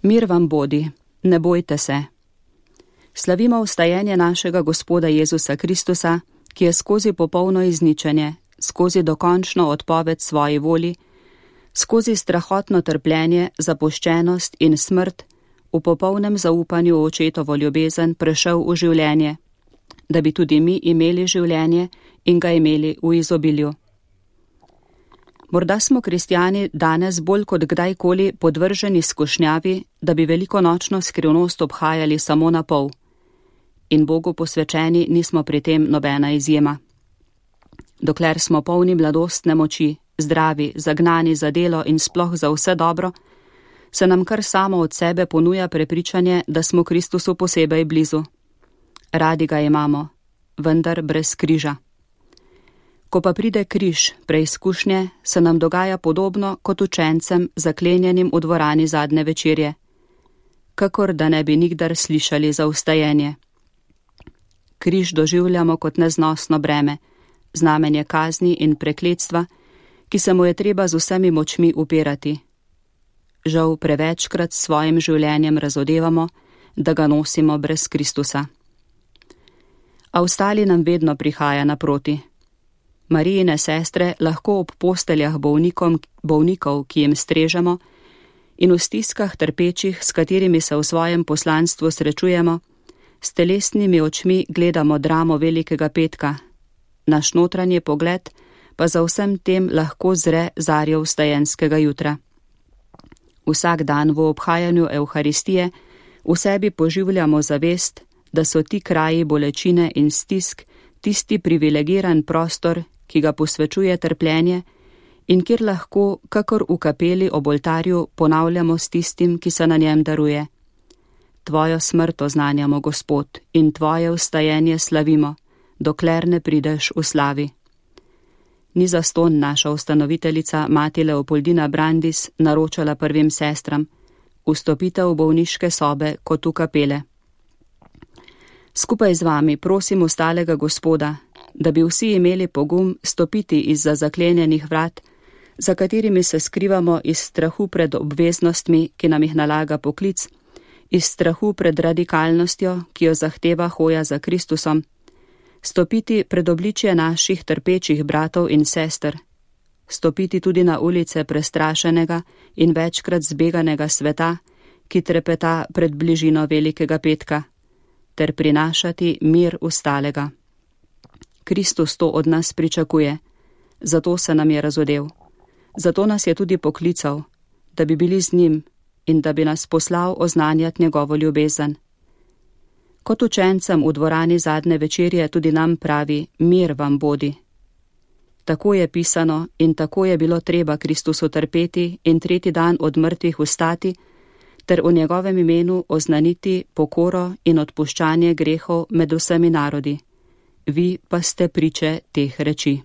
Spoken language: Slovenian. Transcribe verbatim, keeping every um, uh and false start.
Mir vam bodi, ne bojte se. Slavimo vstajenje našega Gospoda Jezusa Kristusa, ki je skozi popolno izničenje, skozi dokončno odpoved svoji voli, skozi strahotno trpljenje, zapuščenost in smrt, v popolnem zaupanju v očetovo ljubezen prešel v življenje, da bi tudi mi imeli življenje in ga imeli v izobilju. Morda smo kristjani danes bolj kot kdajkoli podvrženi skušnjavi, da bi velikonočno skrivnost obhajali samo na pol. In Bogu posvečeni nismo pri tem nobena izjema. Dokler smo polni mladostne moči, zdravi, zagnani za delo in sploh za vse dobro, se nam kar samo od sebe ponuja prepričanje, da smo Kristusu posebej blizu. Radi ga imamo, vendar brez križa. Ko pa pride križ, preizkušnje, se nam dogaja podobno kot učencem zaklenjenim v dvorani zadnje večerje, kakor da ne bi nikdar slišali za vstajenje. Križ doživljamo kot neznosno breme, znamenje kazni in prekletstva, ki se mu je treba z vsemi močmi upirati. Žal prevečkrat s svojim življenjem razodevamo, da ga nosimo brez Kristusa. A ostali nam vedno prihaja naproti. Marijine sestre lahko ob posteljah bolnikom, bolnikov, ki jim strežemo, in v stiskah trpečih, s katerimi se v svojem poslanstvu srečujemo, s telesnimi očmi gledamo dramo Velikega petka, naš notranji pogled pa za vsem tem lahko zre zarjo vstajenskega jutra. Vsak dan v obhajanju Evharistije v sebi poživljamo zavest, da so ti kraji bolečine in stisk tisti privilegiran prostor, ki ga posvečuje trpljenje in kjer lahko, kakor v kapeli ob oltarju, ponavljamo s tistim, ki se na njem daruje. Tvojo smrt oznanjamo, Gospod, in tvoje vstajenje slavimo, dokler ne prideš v slavi. Ni zastonj naša ustanoviteljica mati Leopoldina Brandis naročala prvim sestram, vstopite v bolniške sobe kot v kapele. Skupaj z vami prosim ostalega Gospoda, da bi vsi imeli pogum stopiti izza zaklenjenih vrat, za katerimi se skrivamo iz strahu pred obveznostmi, ki nam jih nalaga poklic, iz strahu pred radikalnostjo, ki jo zahteva hoja za Kristusom, stopiti pred obličje naših trpečih bratov in sester, stopiti tudi na ulice prestrašenega in večkrat zbeganega sveta, ki trepeta pred bližino Velikega petka, ter prinašati mir ustalega. Kristus to od nas pričakuje, zato se nam je razodel. Zato nas je tudi poklical, da bi bili z njim in da bi nas poslal oznanjati njegovo ljubezen. Kot učencem v dvorani zadnje večerje tudi nam pravi, mir vam bodi. Tako je pisano in tako je bilo treba Kristusu trpeti in tretji dan od mrtvih vstati, ter v njegovem imenu oznaniti pokoro in odpuščanje grehov med vsemi narodi. Vi pa ste priče teh reči.